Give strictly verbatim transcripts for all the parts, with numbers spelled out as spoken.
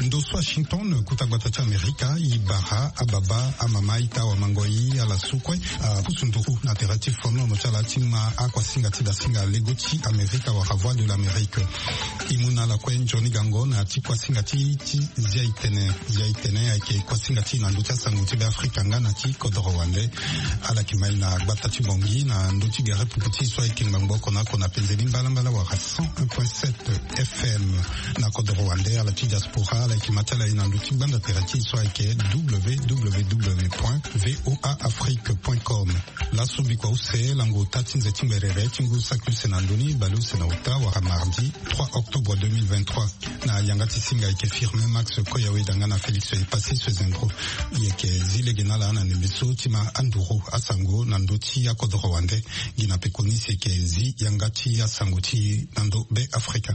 Ndo so Washington, kota gbata ti Amerika, e bara ababa, amama, ita, awamangoi, ala so kue apusu nduru na tere ti fonono ti ala ti ma akuasinga ti dasinga lego ti Amerika wala Voix de l'Amérique. E mu na ala kue nzoni gango na ya ti kuasinga ti, ti Zia-itene. Zia-itene ayeke kuasinga ti e na ndö ti asango ti Beafrika nga na ti kodoro wande. Ala yeke ma e na gbata ti Bangui na ndö ti gere pupu ti e so ayeke ngbangbo oko na oko na penze ni mbalambala wala cent un point sept F M. Na kodoro wande, ala ti diaspora, ala yeke ma ti ala ye na ndö ti gbanda tere ti e so ayeke W W W point V O A Afrique point com. Laso bikua use, lango ota ti nze ti ngberere ti ngu saki use na ndö ni, bale use na ota wala mardi trois octobre deux mille vingt-trois. Na yanga ti singa ayeke Firmin Max Koyawe danga na Félix Epassi Sezendro. E yeke zi lege na ala na ndembe so ti ma anduru asango na ndö ti akodoro wande. Gi na pekoni si e yeke zi yanga ti asango ti e na ndö Beafrika.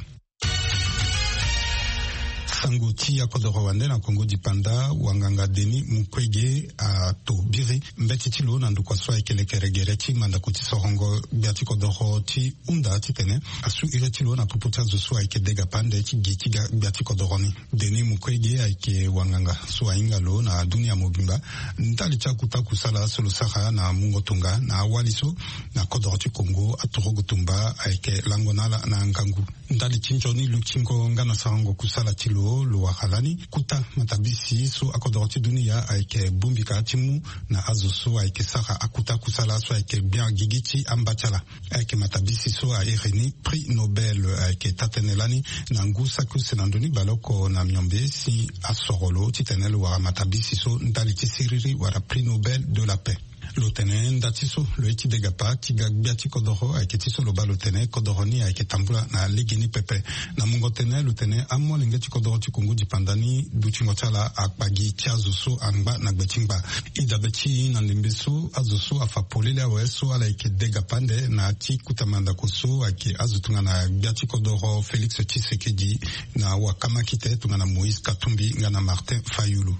Sango ti akodoro wande na Kongo dipanda, wanganga Denis Mukwege ato biri mbeti ti lo na ndokua so ayeke lekere gere ti mandako ti sorongo gbia ti kodoro ti hunda titene asu iri ti lo na popo ti azo so ayeke dega pande ti gi ti ga gbia ti kodoro ni. Denis Mukwege ayeke wanganga so ahinga lo na dunia mobimba ndali ti akuta kusala so lo sara na mungo tonga na awali so na kodoro ti Kongo aturugu tumba ayeke lango na ala na ngangu. Ndali ti nzoni lutingo nga na sarango kusala ti lo, lo wara lani kuta matabisi so akodoro ti dunia ayeke bongbi ka ti mu na azo so ayeke sara akuta kusala so ayeke gbia gigi ti amba ti ala. Ayeke matabisi so a iri ni prix Nobel. Ayeke taa-tënë lani na ngu saki use na ndö ni baleoko na miombe si asoro lo titene lo wara matabisi so ndali ti siriri wala prix Nobel de la paix. Lo tene nda ti so lo ye ti degapa ti ga gbia ti kodoro ayeke ti so lo baa lo tene kodoro ni ayeke tambula na legeni pepe. Na mungo tene lo tene amolenge ti kodoro ti Kongo dipanda ni dutingo ti ala akpa gi ti azo so angba na gbe ti ngba. E dabe ti e na ndembe so azo so afa polele awe so ala yeke degapa nde na ya ti kuta mandako so ayeke azo tongana gbia ti kodoro Félix Tshisekedi, na wakamakite tongana Moïse Katumbi nga na Martin Fayulu.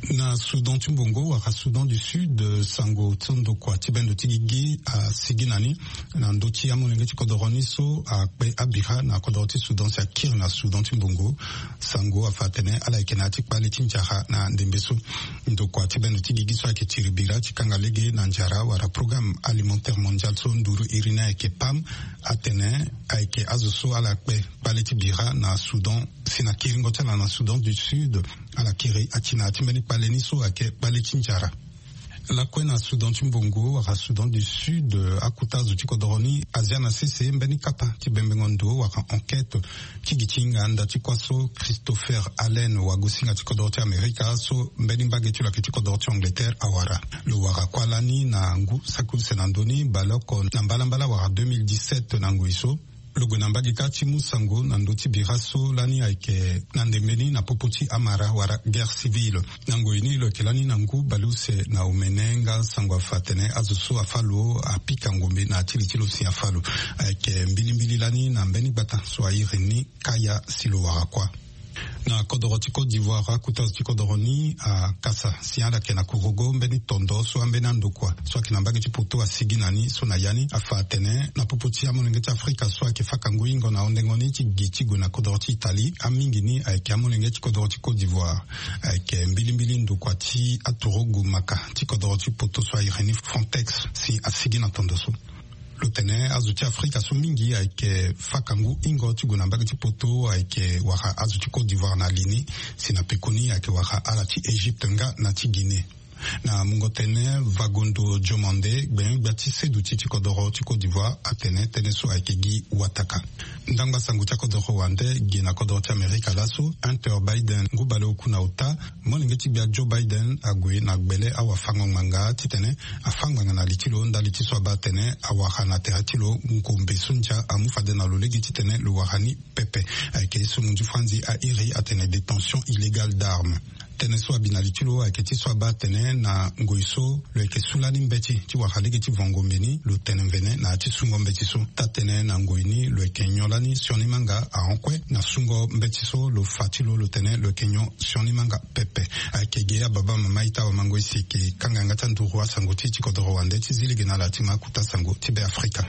Na Soudan ti mbongo wala Soudan du Sud, sango ti ndokua ti bendo ti gigi asigi na ni na ndö ti amolenge ti kodoro ni so akpe abira na kodoro ti Soudan si akiri na Soudan ti mbongo. Sango afa atene ala yeke na ya ti kpale ti nzara na ndembe so. Ndokua ti bendo ti gigi so ayeke tiri bira ti kanga lege na nzara wala Programme Alimentaire Mondial so nduru iri ni ayeke PAM atene ayeke azo so ala kpe kpale ti bira na Soudan si na kiringo ti ala na Soudan du Sud. Ala kiri ati na ya ti mbeni kpale ni so ayeke kpale ti nzara. Lakue na Soudan ti mbongo wala Soudan du Sud, akuta azo ti kodoro ni azia na sese mbeni kapa ti bembengo ndo wala enquête ti gi ti hinga nda ti kuâ so Christopher Allen, wagosinga ti kodoro ti Amerika so mbeni mbage ti lo ayeke ti kodoro ti Angleterre awara. Lo wara kuâ lani na ngu saki use na ndö ni baleoko na mbalambala wala deux mille dix-sept na ngoi so. Lo gue na mbage kâ ti mu sango na ndö ti bira so lani ayeke na ndembe ni na popo ti amara wala guerre civile. Na ngoi ni lo yeke lani na ngu baleuse na omene nga sango afa atene azo so afâ lo apika ngombe na ya ti li ti lo si afâ lo. Ayeke mbilimbili lani na mbeni gbata so airi ni Kaya si lo wara kuâ. Na kodoro ti Côte d'Ivoire, akuta azo ti kodoro ni akasa si ala yeke na kurugo mbeni tondo so ambeni andokua so ayeke na mbage ti poto asigi na ni so na ya ni afa atene na popo ti amolenge ti Afrika so ayeke faka ngu hingo na hundengo ni ti gi ti gue na kodoro ti Italie, amingi ni ayeke amolenge ti kodoro ti Côte d'Ivoire. Ayeke mbilimbili ndokua ti aturugu maka ti kodoro ti poto so airi ni Frontex si asigi na tondo so. Lo tene azo ti Afrika so mingi ayeke faka ngu hingo ti gue na mbage ti poto ayeke wara azo ti Côte d'Ivoire na li ni, si na pekoni ayeke wara ala ti Égypte nga na ti Guinée. Na mungo tënë, Vagondo Diomande, gbenyo-gbia ti seduti ti kodoro ti Côte d'Ivoire, atene tënë so ayeke gi wataka. Ndangba sango ti akodoro wande gi na kodoro ti Amerika laso, Hunter Biden, ngu baleoku na ota, molenge ti gbia Joe Biden ague na gbele awafango-ngbanga titene afâ ngbanga na li ti lo ndali ti so abaa atene awara na tere ti lo ngombe so ndia amu fade na lo lege titene lo wara ni pepe. Ayeke ye so munzu franzi airi atene détention illégale d'armes. Tënë so abi na li ti lo ayeke ti so abaa atene na ngoi so lo yeke su lani mbeti ti wara lege ti vo ngombe ni, lo tene mvene na ya ti sungo mbeti so. Taa-tënë na ngoi ni lo yeke nyon lani sioni manga ahon kue na sungo mbeti so lo fa ti lo, lo tene lo yeke nyon sioni manga pepe. Ayeke ge ababa mama ita wamangoi si eke kanga yanga ti anduru asango ti ti kodoro wande ti zi lege na ala ti ma akuta sango ti Beafrika.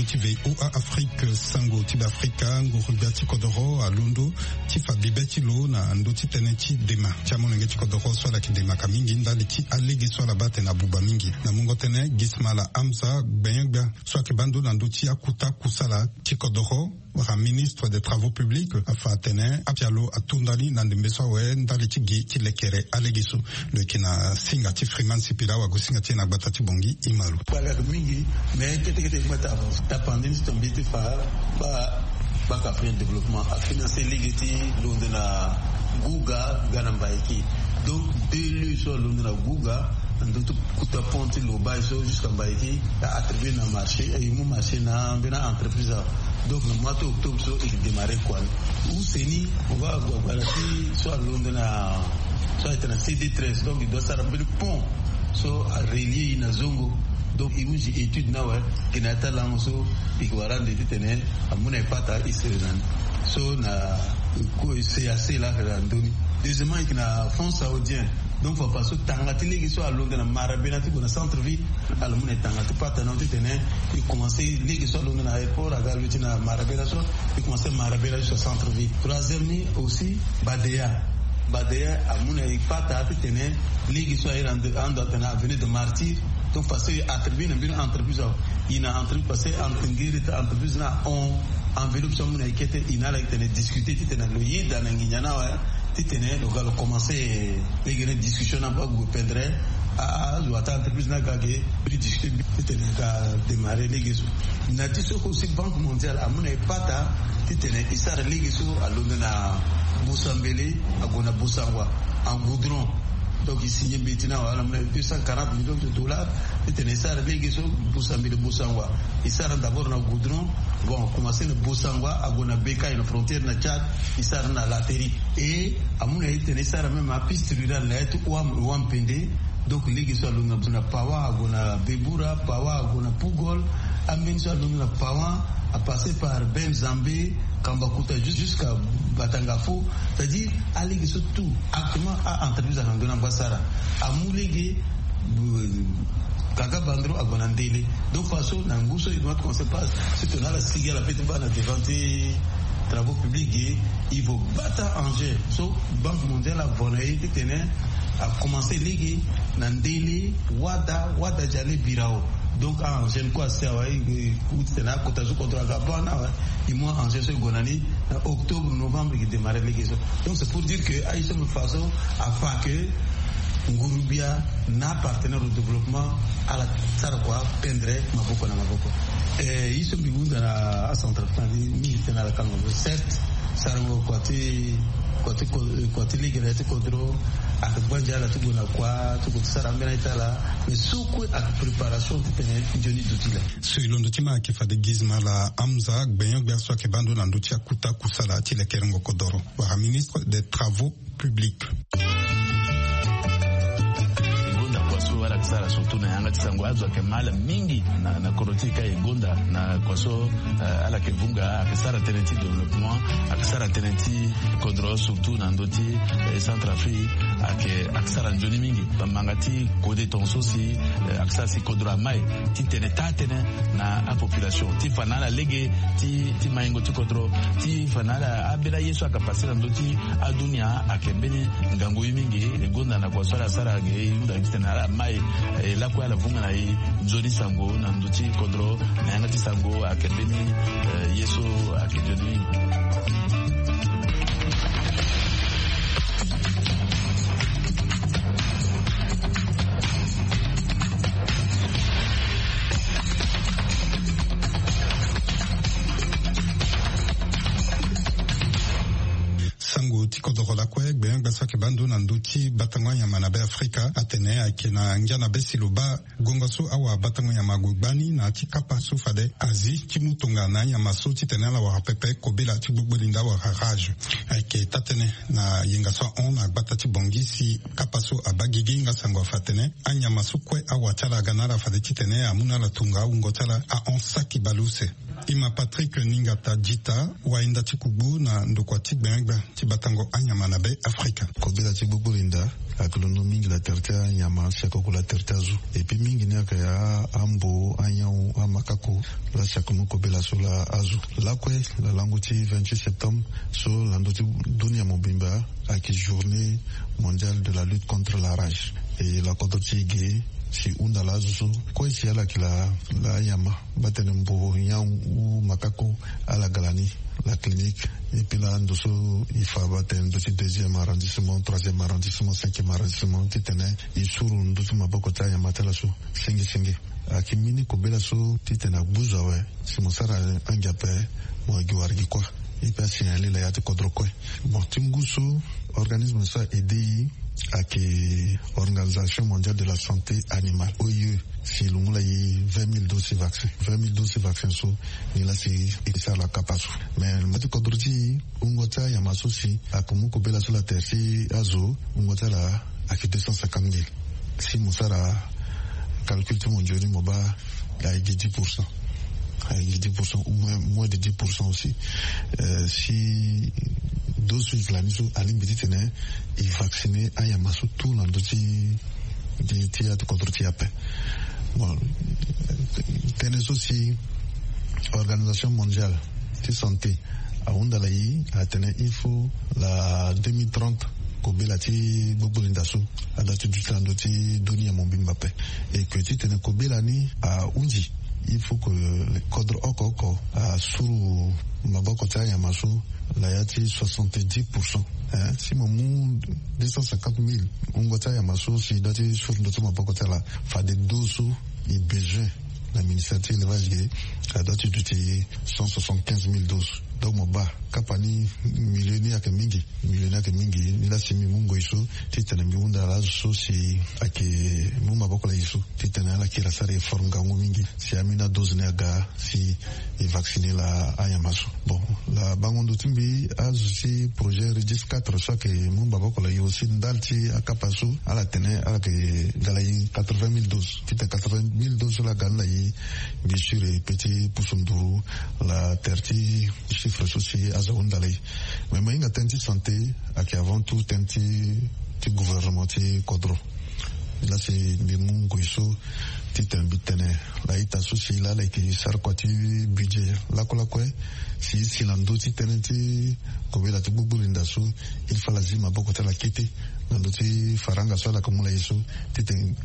Ti VOA Afrique, sango ti Beafrika. Nguru-gbia ti kodoro alondo ti fa bibe ti lo na ndö ti tënë ti dema ti amolenge ti kodoro so ala yeke demaka mingi ndali ti alege so ala baa atene abuba mingi. Na mungo tënë, Gismala Hamza Gbenyo-gbia so ayeke baa ndo na ndö ti akuta kusala ti kodoro wala ministre des travaux publics afa atene apialo atonda ni na ndembe so awe ndali ti gi ti lekere alege so. Lo yeke na singa ti Freeman Sipila, awagosinga ti e na gbata ti Bongi, Imalu. Kpale ayeke mingi, mais kete kete e ngba ti avance. Tapande ni ti tonga mbeti ti fa ba Banque Africaine de Développement afinancer lege ti londo na Guga ga na Mbaiki. Donc deux lieux so alondo na Guga, na ndö ti kuta pont ti Lobaye so jusqu'à Mbaiki, a attribuer na marché, e mu marché na ambeni entreprise awe. Donc na mois ti octobre so e démarrer kua ni. Use ni mo baa agbala ti so alondo na, so ayeke na C D treize, donc e doit sara mbeni pont so arelier e na Zongo. Donc e hunzi étude ni awe, e yeke na ya ti alango so e yeke wara ande titene amu na e pata e sere na ni. So na ko e se ase laa ayeke na ndö ni. Deuxièmement, e yeke na Fonds Saoudien. Donc fa pa so tanga ti lege so alondo na Marabena ti gue na centre ville, ala mu na e tanga ti pata na titene e commencer lege so alondo na aéroport aga lo ti na Marabena so, e commencer Marabena jusqu'à centre ville. Troisième ni aussi, Badeya. Badeya amu na e pata titene lege so aye na ando atene Avenue de Martyrs. Donc fa so e attribuer na mbeni entreprise awe, e na entreprise, parce que entre ngiri ti entreprise ni ahon enveloppe so amu na e kete, e na ala titene discuter titene lo yeda na nginza ni awe titene lo ga lo commencer lege ni discussion ni ape ague pendere a, a, azo ata entreprise ni aga ge, biri discuter titene e ga démarrer lege so. Na ti so aussi Banque Mondiale amu na e pata titene e sara lege so alondo na Bosambele ague na Bosangwa en goudron. Donc e signer mbeti ni awe, ala mu na e deux cent quarante millions de dollars titene e sara lege so Bosambele Bosangwa. E sara d'abord na goudron. Bon, commencer na Bosangwa ague na Beka, na frontière na Tchad, e sara na Lateri. Et amu na e titene e sara même apiste rurale na ya ti Ouam, Ouam Pende. Donc lege so alondo na Pawan ague na Bebura, Pawan ague na Pugol, ambeni so alondo na Pawan a passer par Ben Zambe, Kambakuta, jus-, jusqu'à Batangafo. C'est-à-dire alege so tout actuellement a entreprise ayeke na ndö ni angba sara. Amu lege, euh, Kaga Bandro ague na Ndele. Donc fa so na ngu so e doit commencer passe, surtout na ala sigi ala peut ti baa na devant ti travaux publics, e, e vo bata engin so Banque Mondiale avo na e titene a commencer lege na Ndele, Wada, Wada Djale, Birao. Donc a engin kue asi awe, e, e, titene akota so kodro aga baa ni awe, e mu engin so e gue na ni na octobre, novembre e démarrer lege so. Donc c'est pour dire que aye so mbi fa so afa que nguru-gbia na partenaire au développement ala sara kua pendere maboko na maboko. Eh, ye so mbi hunda na acentrafricain ni mingi tënë ala kango so, certes sarango kua ti, kua ti ko-, kua ti lege na ya ti kodro ayeke gbanja ala ti gue na kua ti gue ti sara ambeni aye ti ala. Mais so kue ayeke préparation titene nzoni duti laa. So e londo ti ma ayeke fade Gismala Hamza Gbenyo-gbia so ayeke baa ndo na ndö ti akuta kusala ti lekerengo kodoro wala ministre des travaux publics. E gonda kua so ala yeke sara surtout na yanga ti sango, azo ayeke ma ala mingi na, na kodro ti e ka. E gonda na kua so, eh, ala yeke vunga, ayeke sara tënë ti développement, ayeke sara tënë ti kodro surtout na ndö ti, eh, Centrafrique, ayeke, ayeke sara nzoni mingi. Bamanga ti kode tongaso si, eh, ayeke sara si kodro amai titene taa tënë na apopulation ti fa na ala lege ti, ti maingo ti kodro, ti fa na ala ambeni aye so ayeke pase na ndö ti adunia ayeke mbeni ngangu ye mingi. E gonda na kua so ala sara ge, e hunda titene ala mai, e lakue ala vunga na e nzoni sango na ndö ti kodro, na yanga ti sango ayeke mbeni, eh, ye so ayeke nzoni mingi. Sango ti kodoro lakue, gbenyo-gbia so ayeke baa ndo na ndö ti batango anyama na Beafrika atene ayeke na ngia na be si lo baa gongo so awabatango nyama ague gbani na ya ti kapa so fade Asie ti mu tonga na anyama so titene ala wara pepe kobela ti gbogbo linda wala rage. Ayeke taa-tënë na yenga so ahon na gbata ti Bangui si kapa so abaa gigi nga sango afa atene anyama so kue awa ti ala aga na ala fade titene amu na ala tonga awungo ti ala ahon saki baleuse. Ima Patrick Ningata Dita, wayenda ti kugbu na ndokua ti gbengbia ti batango anyama na be Afrika. Kobela ti gbogbo linda ayeke londo mingi na tere ti anyama si ayeke oko na tere ti azo. Epui mingi ni ayeke ambo, anyau, amakako, laa si ayeke mu kobela so laa azo. Lakue na lango ti vingt-huit septembre so na ndö ti dunia mobimba ayeke journée mondiale de la lutte contre la rage. E lakodro ti e ge si hunda laa azo so kue si ala yeke laa anyama, mba tene mbo nyau, makako, ala ga lani la clinique. Epui laa ndo so e fa mba tene ndo ti deuxième arrondissement, troisième arrondissement, cinquième arrondissement titene e suru ndo ti maboko ti anyama ti ala so senge senge. Ayeke mbeni kobela so titene agbu zo awe si mo sara angia ape, mo gi wara gi kuâ. Epui asignale la ya ti kodro kue. Bon, ti ngu so organisme so a aidé e ayeke Organisation Mondiale de la Santé Animale, O I E, si e lungula e vingt mille doses ti vaccin. Vingt mille doses ti vaccin so, ni laa si e sara la kapa so. Mais na mbage ti kodro ti e, wungo ti anyama so si ayeke mu kobela so na tere ti azo, wungo ti ala ayeke deux cent cinquante mille. Si mo sara calcul ti mo nzoni, mo baa ayeke gi dix pour cent. Ayeke gi dix pour cent ou moins, moins de dix pour cent aussi. Euh, si dose so e yeke lani so alingbi titene e vacciner anyama so tout na ndö ti, ti, ti ati kodro ti e ape. Bon, tënë so si Organisation Mondiale ti Santé ahunda na e atene il faut la deux mille trente kobela ti gbogbo linda so ada ti duti na ndö ti dunia mobimba ape. E ke titene kobela ni ahunzi, il faut que kodro oko oko asuru maboko ti anyama so na ya ti soixante-dix pour cent. Hein, si mo mu deux cent cinquante mille wungo ti anyama so si e doit ti suru ndö ti maboko ti ala, fade dose so e besoin na ministère ti élevage ge, a doit ti duti cent soixante-quinze mille doses. Donc mo baa kapa ni, milieu ni ayeke mingi, milieu ni ayeke mingi. Ni laa si mbi mu ngoi so titene mbi hunda na azo so si ayeke mu maboko na e so titene ala kiri asara effort ngangu mingi si ambeni adose ni aga si e vacciner la anyama so. Bon, la bango ndo ti mbi, azo ti projet Régis quatre so ayeke mu maboko na e aussi ndali ti akapa so, ala tene ala yeke ga na e quatre-vingt mille doses. Titene quatre-vingt mille doses so laa aga ni na e, mbi sûr e peut ti pusu nduru na tere ti chiffre so si azo ahunda na e. Mais mo hinga tënë ti santé ayeke avant tout tënë ti, ti gouvernement ti kodro. Laa si mbi mu ngoi so titene mbi tene na ita so si laa ala yeke sara kua ti budget lakue lakue, si e si na ndö ti tënë ti kobela ti gbogbo linda so, il faut ala zi maboko ti ala kete na ndö ti faranga so ala yeke mu na e so, titene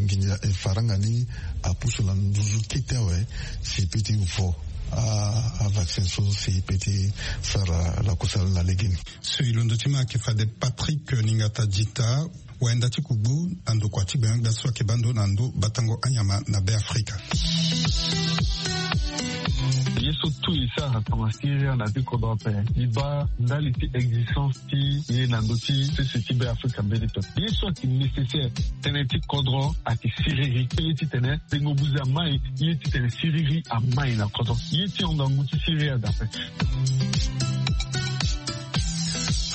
nginza, eh, faranga ni apusu na nduzu kete awe, si e peut ti vo a, avaccin so si e peut ti sara lakusala na legeni. So e londo ti ma ayeke fade Patrick Ningata Dita, wayenda ti kugbu na ndokua ti gbengbia so ayeke baa ndo na ndö batango anyama na Be Afrika. Ye so tout e sara tongana Syria na ya ti kodro ape, e baa ndali ti existence ti ye na ndö ti sese ti Be Afrika mbeni pepe. Ye so ayeke nécessaire, tënë ti kodro ayeke siriri. Ye titene tengo buze amai, ye titene siriri amai na kodro. Ye ti hon ngangu ti siriri adape.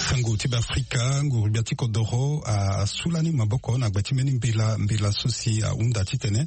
Sango ti Be Afrika, nguru-gbia ti kodoro a, asu lani maboko na gbe ti mbeni mbela, mbela so si ahunda titene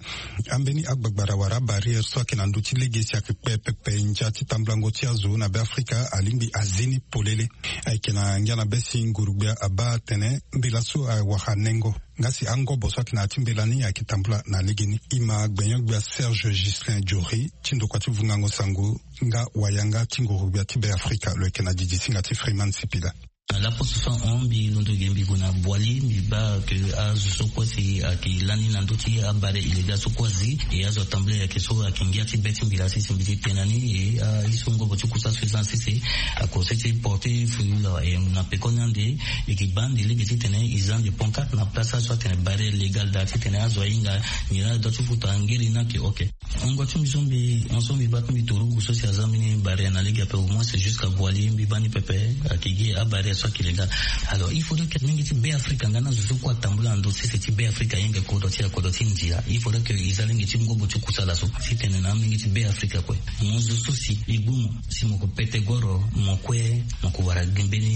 ambeni agbagbara wala abarrière so ayeke na ndö ti lege si ayeke kpe pepe ndia ti tambulango ti azo na Be Afrika alingbi azi ni polele. Ayeke na ngia na be si nguru-gbia abaa atene mbela so awara nengo. Nga si angobo so ayeke na ya ti mbela ni ayeke tambula na legeni. Ima gbenyo-gbia Serge Ghislain Jory ti ndokua ti vungango sango nga wayanga ti nguru-gbia ti Be Afrika lo yeke na didi singa ti Freeman Sipila. Na laposo so ahon mbi londo ge mbi gue na Boali, mbi baa ke azo so kue si ayeke lani na ndö ti abare illégal so kue azi, e azo atambula ayeke so ayeke ngia ti be ti mbi laa sese mbi ti tene na ni, e aye so ngobo ti kusa so e za na sese ako sese porte feu laa, e na peko ni ande, e yeke baa ande lege titene e za ande pancarte na place so atene barrière légale daa titene azo ahinga nyen la dua ti futa ngiri ni ayeke ok. Wungo ti mbi so mbi, hon so mbi baa ti mbi torugu so si aza mbeni barrière na lege ape au moins c'est jusqu'à Boali mbi baa ni pepe, ayeke gi abarrière so ayeke légale. Alors il faudrait que mingi ti Be Afrika nga na zo so kue atambula na ndö sese ti Be Afrika ahinga kodro ti, kodro ti ndia. Il faudrait que e za lege ti ngobo ti kusala so titene na amingi ti Be Afrika kue. Mo zo so si e gbu mo si mo ko pete goro, mo kue mo ko wara gi mbeni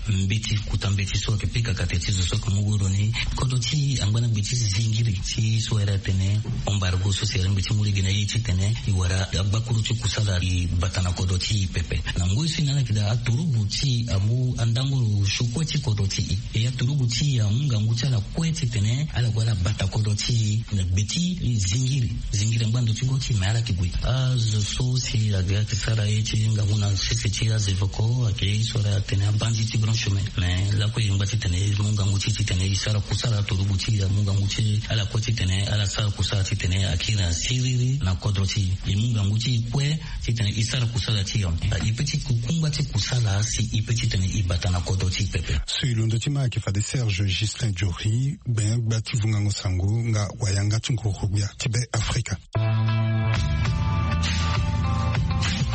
Mbeti kuta mbeti so ayeke pika kate ti zo so ayeke mu goro ni. Kodro ti angba na gbe ti zingiri ti so ayere atene embargo so si ayere mbeti mu lege na ye titene e wara agbakuru ti kusala e bata na kodro ti e pepe. Na ngoi so e na ala yeke daa aturugu ti e amu andango lo sio kue ti kodro ti e. E aturugu ti e amu ngangu ti ala kue titene ala gue ala bata kodro ti e na gbe ti zingiri. Zingiri angba ndo ti go ti e me ala yeke gue. Azo so si ayeke sara ye ti ngangu na sese ti azevoko ayeke ye so ala atene abandi ti grand chemin. Me lakue e ngba titene e mu ngangu ti e titene e sara kusala aturugu ti e amu ngangu ti ala kue titene ala sara kusala titene akiri na siriri na kodro ti e. E mu ngangu ti e kue titene e sara kusala ti e. E pe ti kukungba ti kusala si e pe titene e bata na kodro ti e pepe. So e londo ti ma ayeke fade Serge Gislain Diori, gbenyo gbia ti vungango sango nga wayanga ti nguru gbia ti Be Afrika.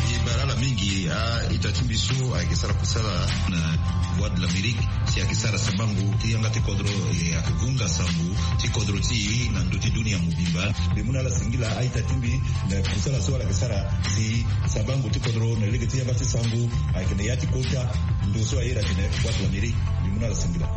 E bara ala mingi a-ita ti mbi so ayeke sara kusala na Voix de l'Amérique si ayeke sara sambango ti yanga ti kodro, e ayeke vunga sango ti kodro ti e na ndö ti dunia mobimba. Mbi mu na ala singila a-ita ti mbi na kusala so ala yeke sara si sambango ti kodro na lege ti yanga ti sango ayeke na ya ti kota ndo so ayere atene Voix de l'Amérique. Mbi mu na ala singila.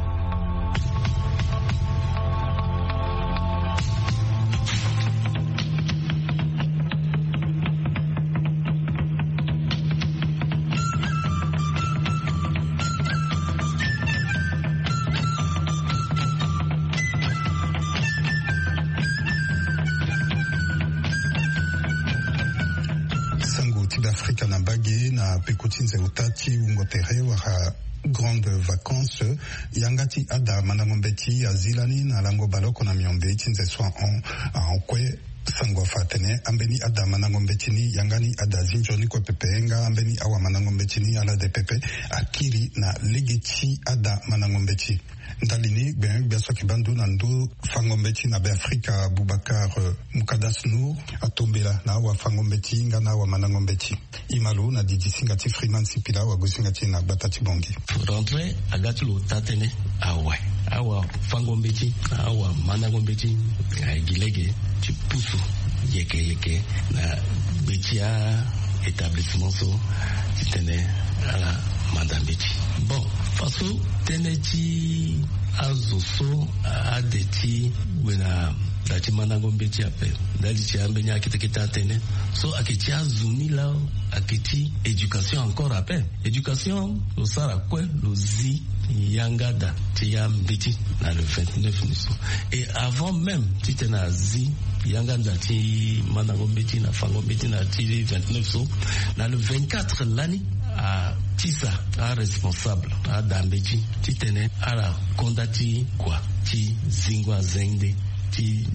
Sango ti Be Afrika na mbage na peko ti nze ota ti wungo tere wala grande vacance. Yanga ti ada mandango mbeti azi lani na lango baleoko na miombe ti nze so ahon ahon kue. Sango afa atene ambeni ada mandango mbeti ni yanga ni ada zi nzoni kue pepe nga ambeni awamandango mbeti ni ala de pepe akiri na lege ti ada mandango mbeti. Ndali ni gbenyo gbia so ayeke baa ndo na ndo fango mbeti na Be Afrika Boubacar, eh, Moukadas Nour atombela na awafango mbeti nga na awamandango mbeti. E ma lo na didi singa ti Freeman Sipila awagosinga ti e na gbata ti Bongi. Rentrée aga ti lo taa tënë awe. Awafango mbeti na awamandango mbeti ayeke gi lege ti pusu yeke yeke na gbe ti a-établissement so titene ala manda mbeti. Bon, faso tënë ti azo so ade ti gue na da ti mandango mbeti ape ndali ti ambeni akete kete atene so ayeke ti azo ni lao ayeke ti éducation encore ape. Éducation lo sara kue lo zi yanga da ti ambeti na le vingt-neuf ni so. Et avant même titene azi yanga da ti mandango mbeti na fango mbeti na ti vingt-neuf so, na le vingt-quatre lani atisa aresponsable ada mbeti titene ala konda ti kua ti zingo azende ti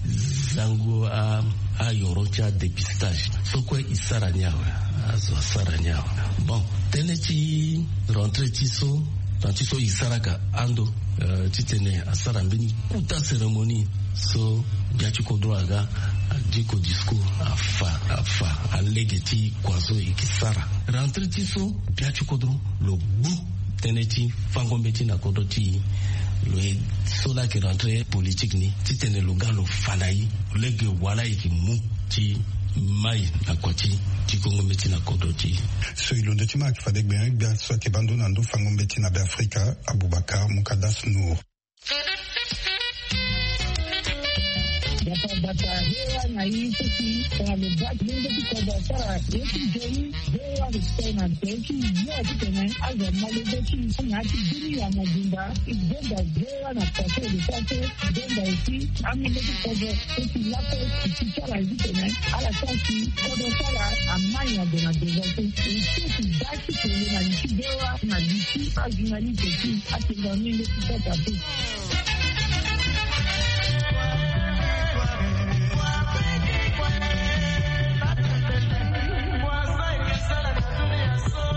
zango a ayoro ti adépistage so kue e sara ni awe. Azo asara ni awe. Bon, tënë ti rentrée ti so, na ti so e saraka ando, eh, titene asara mbeni kuta cérémonie so gbia ti kodro aga adiko discours afa afa alege ti kua so e ke sara. Rentrée ti so gbia ti kodro lo gbu tënë ti fango mbeti na kodro ti e. Lo ye so laa ayeke rentrée politique ni titene lo ga lo fa na e lege wala e yeke mu ti mai na kua ti ti kongo mbeti na kodro ti e. So e londo ti ma ayeke fade gbenyo gbia so ayeke baa ndo na ndo fango mbeti na Be Afrika Aboubacar Moukadas Nour. Gbata gbata hewa na e so si tongana lo baa ti lenge ti kodro asara ye ti nzoni. Hewa lo tene na tere ti yo titene azo ama lege ti na ya ti bini ya mobimba ti gbonga hewa na tere ti lo sara so gbonga esi amenge ti kodro so si lakue si ti sara ye titene ala sara si kodro sara ama nyango na bezo so e so si baa ti kele na li ti hewa na li ti ajournaliste ti atenga menge ti sota so.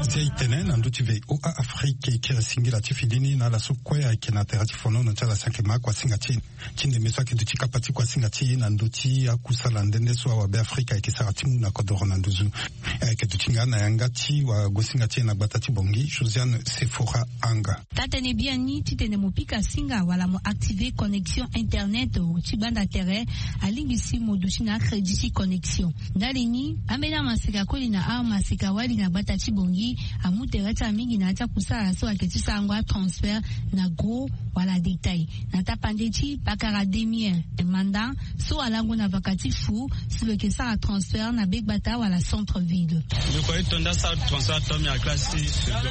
Zia e tene na ndö ti V O A Afrique e kiri singila ti fini ni na ala so kue ayeke na tere ti fonono ti ala si ayeke ma kuasinga ti e ti ndembe so ayeke duti kapa ti kuasinga ti e na ndö ti akusala nde nde so awabe Afrika ayeke sara ti mu na kodoro na nduzu. Ayeke duti nga na yanga ti wagosinga ti e na gbata ti Bongi, Josiane Sephora Anga. Taa-tënë biani titene mo pika singa wala mo activer connexion internet ti gbanda tere, alingbi si mo duti na acrédit ti connexion. Ndali ni, ambeni amaseka koli na amaseka wali na gbata ti Bongi Amu tere ti amingi na ya ti akusala so ayeke ti sarango atransfert na gros wala détail na tapande ti pakara demi heure. Manda so alango na vaka ti fu si lo yeke sara transfert na begbata wala centre ville. Mbi kue ti tonda sara transfert to mbi na classe ti seconde.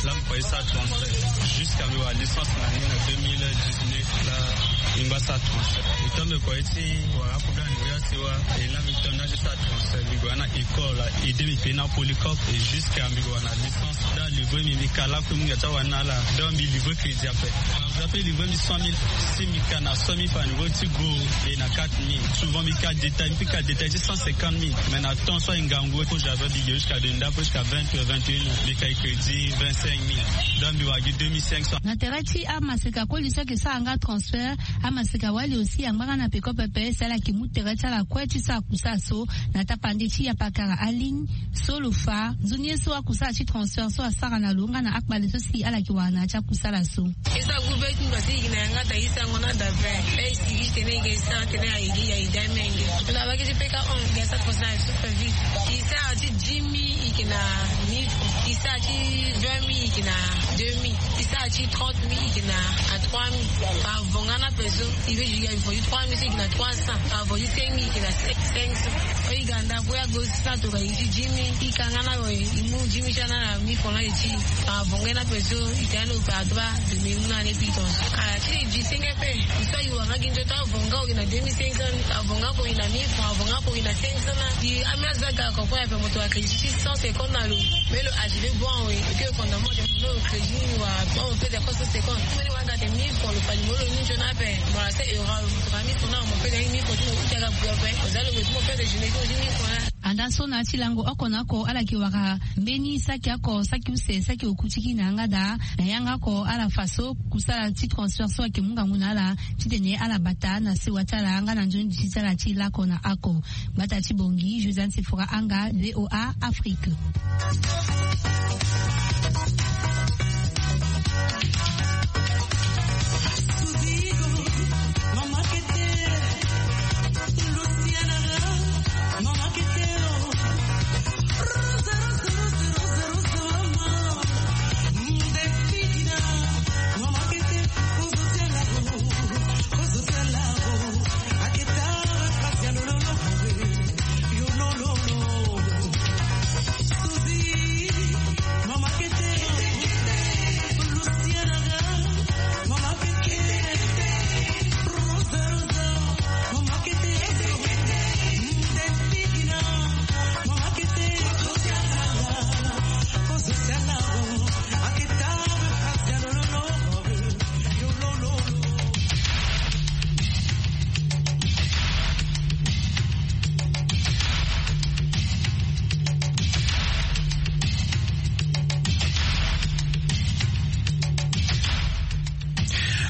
Laa mbi kue ti sara transfert jusqu'à mbi wara licence na ni na deux mille dix-neuf. Laa mbi ngba sara transfert. E to mbi kue ti wara aproblème na niveau ya sewa. E laa mbi tonda ti sara transfert, mbi gue na école, aide mbi payé na polycope et jusqu'à mbi gue wara na licence. Donc livrer mbi, mbi ka lakue mbi ga ti awara ni na ala. Donc mbi livrer crédit ape. Mbi ape livrer mbi cent mille. Si mbi ka na cent mille francs na niveau ti go, e na quatre mille. Souvent mbi ka détail, mbi ka détail ti cent cinquante mille. Mais na temps so aye ngangu, ko j'avais mbi ge jusqu'à de ndako jusqu'à vingt heures, vingt et une heures. Mbi ka crédit vingt-cinq mille. Donc mbi wara gi deux mille cinq cents. Na tere ti amaseka koli so ayeke sara nga transfert, amaseka wali aussi angba nga na peko pepe si ala yeke mu tere ti ala kue ti sara kusala so na tapande ti apakara aligne. So lo fa nzoni ye so akusala ti transfert so asara na lo nga na akpale so si ala yeke wara na ya ti akusala so. E sara groupe ti mbi si e yeke na yanga daa, e sarango na daa vingt. E sigi ti tene e yeke sara tene aye gi aye daa menge. Na bage ti peka on e sara transfert super vite. E sara ti dix mille e yeke na mille francs. E sara ti vingt mille e yeke na deux mille. E sara ti trente mille e yeke na trois mille. Par avant nga na ape so e ve e yeke na trois mille so e yeke na trois cents. Par avant ti cinq mille e yeke na cinq cents. E ga ndako ya go sara tongana e ti dix mille, e ka nga na awe, e mu dix mille ti ana na mille francs na e ti. Avonga na peso, e ti ana opératoire de mille na ne piton. Ala ti e dix-cinq ape. E so e wara nga gi nzoto avonga o e na deux mille cinq cents, avonga ko e na mille francs, avonga ko e na cinq cents na. E ami aza ga ko ko ape moto a crédit ti cent cinquante na lo. Mais lo agi le bon, oui. Et puis, au fondamment, de mon crédit, wa, wa, on peut dire quoi, cent cinquante. Mais wa, gade mille francs, lo fali mo lo ni nzoni ape. Mo la se euro, mo fali mille francs na, mo peut gagner mille francs, mo peut gagner mille francs. Anda so na ya ti lango oko na oko ala yeke wara mbeni saki oko, saki use, saki oku ti gi na yanga daa. Na yanga oko ala fa so kusala ti transfert so ayeke mu ngangu na ala titene ala bata na sewa ti ala nga na nzoni ti ala ti lako na ako. Gbata ti Bongi, Josiane Sefora Anga, V O A Afrique.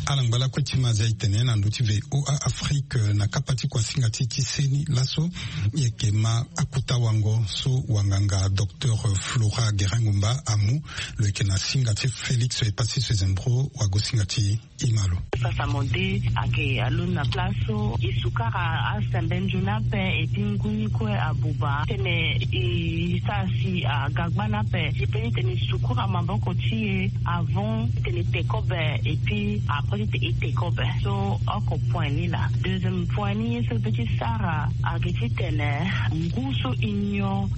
Ala ngba lakue ti ma zia e tene na ndö ti V O A Afrique na kapa ti kuasinga ti ti seni laso. E yeke ma akuta wango so wanganga docteur Flora Guerin Ngumba amu. Lo yeke na singa ti Félix Epassi Sezembro wagosinga ti e ma lo. Sasa mo de ayeke alondo na place so e sukara asembe nzoni ape, et puis ngu ni kue abuba tene e sara si aga gbani ape. E pe titene e sukura maboko ti e avant titene e te kobe, et puis après titene e te kobe. So oko point ni laa. Deuxième point ni ye so e pe ti sara ayeke titene ngu so e nyon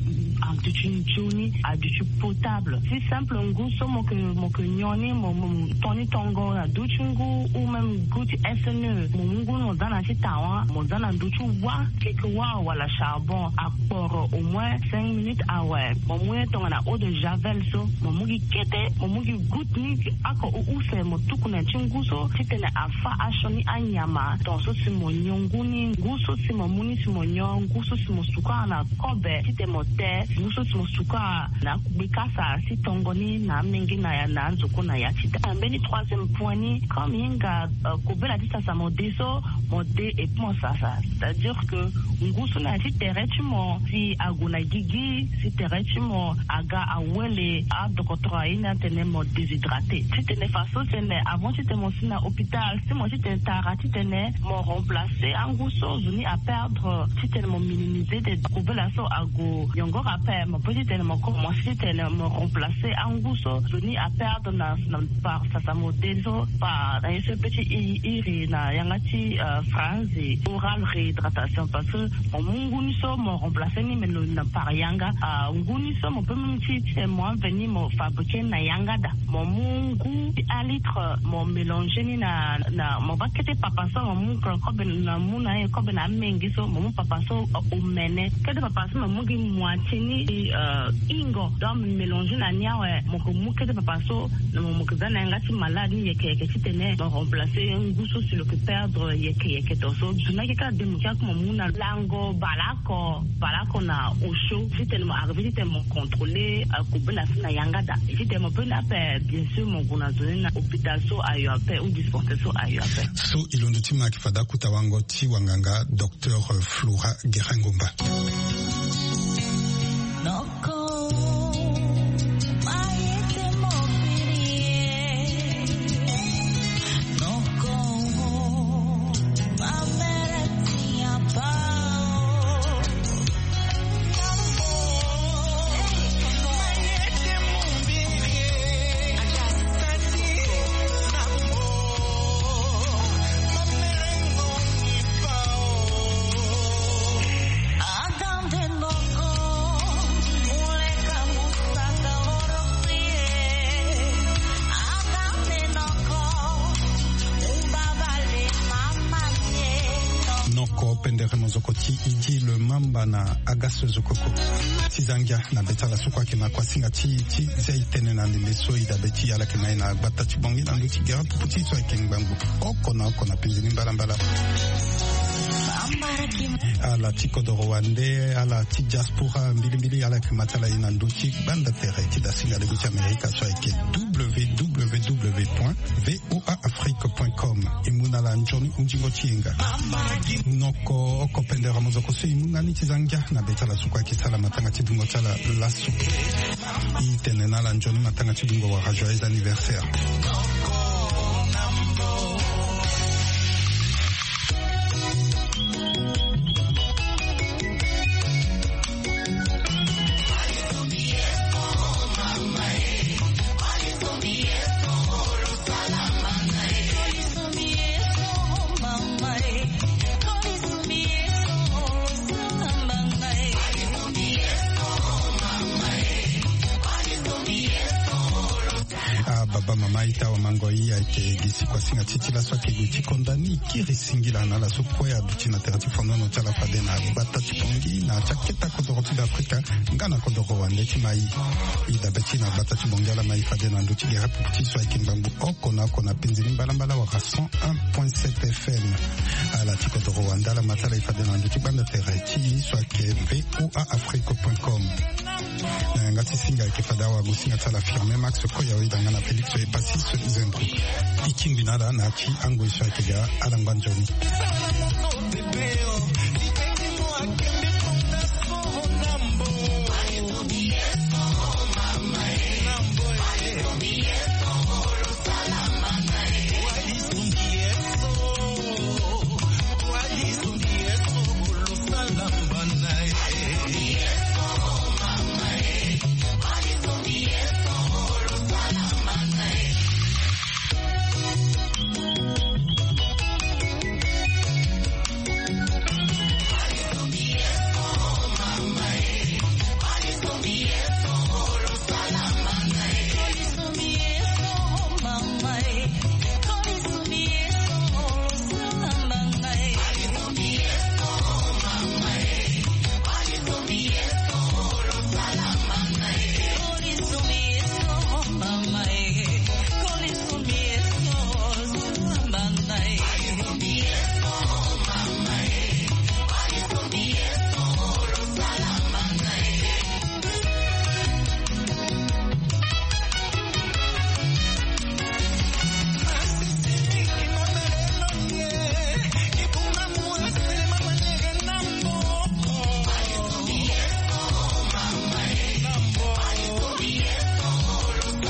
aduti nzoni, aduti potable. Si simple ngu so mo yeke, mo yeke nyon ni, mo, mo ton ni tongo na duti ngu, ou même ngu ti S N E, mo mu ngu ni mo za na ti tawa, mo za na ndö ti wa, keke wa wala charbon, akporo au moins cinq minutes awe. Mo mu ye tongana eau de javel so, mo mu gi kete, mo mu gi goutte ni, oko u- use mo tuku na ya ti ngu so titene afâ asioni anyama. Tongaso si mo nyon ngu ni, ngu so si mo mu ni si mo nyon, ngu so si mo sukara na kobe titene mo te, ngu so si mo sukara na gbekasa ti tongo ni na amenge na ya, na anzoko na ya ti da. Mbeni troisième point ni, comme hinga, euh, kobela ti sasa mo de so, mo de et puis mo sasa. C'est-à-dire que ngu so na ya ti tere ti mo si ague na gigi, si tere ti mo aga awele, adokotoro aye ni atene mo déshydraté. Titene faso tene avant titene mo si na Na hôpital si mo titene tara titene mo remplacer angu so zo ni aperdre, titene mo minimiser de kobela so ague yongoro ape, mo pe titene mo commencer titene mo remplacer angu so zo ni aperdre na par sasa mo de so par na ye so pe ti iri na yanga ti franzi oral réhydratation parce que mo mu ngu ni so mo remplacer ni me lo na par yanga. Ngu ni so mo pe même ti titene mo aveni mo fabriquer na yanga da. Mo mu ngu ti un litre mo mélanger ni na na mo baa kete papa so mo mu kobe na mu na ye kobe na amenge so mo mu papa so omene kete papa so mo mu gi moitié ni. Ingo donc mélanger na ni awe mo ke mu kete papa so na mo mo ke za na yanga ti malade ni yeke yeke titene mo remplacer ngu so si lo ke perdre yeke yeke to so zo na ke kaka de mo ke aku mo mu na lango bala oko bala oko na osio titene mo arriver titene mo contrôler kobela so na yanga da. Titene mo pe na ape bien sûr mo gue na zo ni na hôpital so ayo ape ou dispensaire so ayo ape. So e londo ti ma ayeke fade akuta wango ti wanganga docteur Flora Gerengomba. Noko pendere mozoko ti idi le mamba na agaso zokoko ti zangia na beta la sukua ke na kuasinga ti ti zia itene na ndembe so idabe ti ala ke na ye na gbata ti bongi na ndo ti gera pupu ti so ayeke ngbangbu oko na oko na penzi ni mbalambala. Ala ti kodoro wande ala ti diaspora mbilimbili ala yeke ma ti ala ye na ndö ti gbanda tere ti dasinga lego ti amerika so ayeke www point voa afrique point com. E mu na ala nzoni hunzingo ti yenga. Noko oko pendere mozoko so e mu nga ni ti za ngia na be ti ala so kue ayeke sala matanga ti dungo ti ala laso. E tene na ala nzoni matanga ti dungo wala joyeux anniversaire. Ah baba mama ita wa mango i ayeke gi si kuasinga ti ti laso ayeke gue ti konda ni kiri singila na ala so kue aduti na tere ti fondono ti ala fade na gbata ti pongi na ti aketa kodoro ti be afrika. Nga na kodoro wande ti ma i. I dabe ti na gbata ti bongi ala ma i fade na ndö ti gere pupu ti so ayeke ngbangbu oko na oko na penzi ni mbalambala wala cent un point sept fm. Ala ti kodoro wande ala ma ti ala i fade na ndö ti gbanda tere ti i so ayeke voa afrique point com. Na yanga ti singa ayeke fade awagosinga ti ala firme max koya oyeda nga na félix epassis zembro. E kingbi na ala na ya ti angoi so ayeke ga ala ngba nzoni.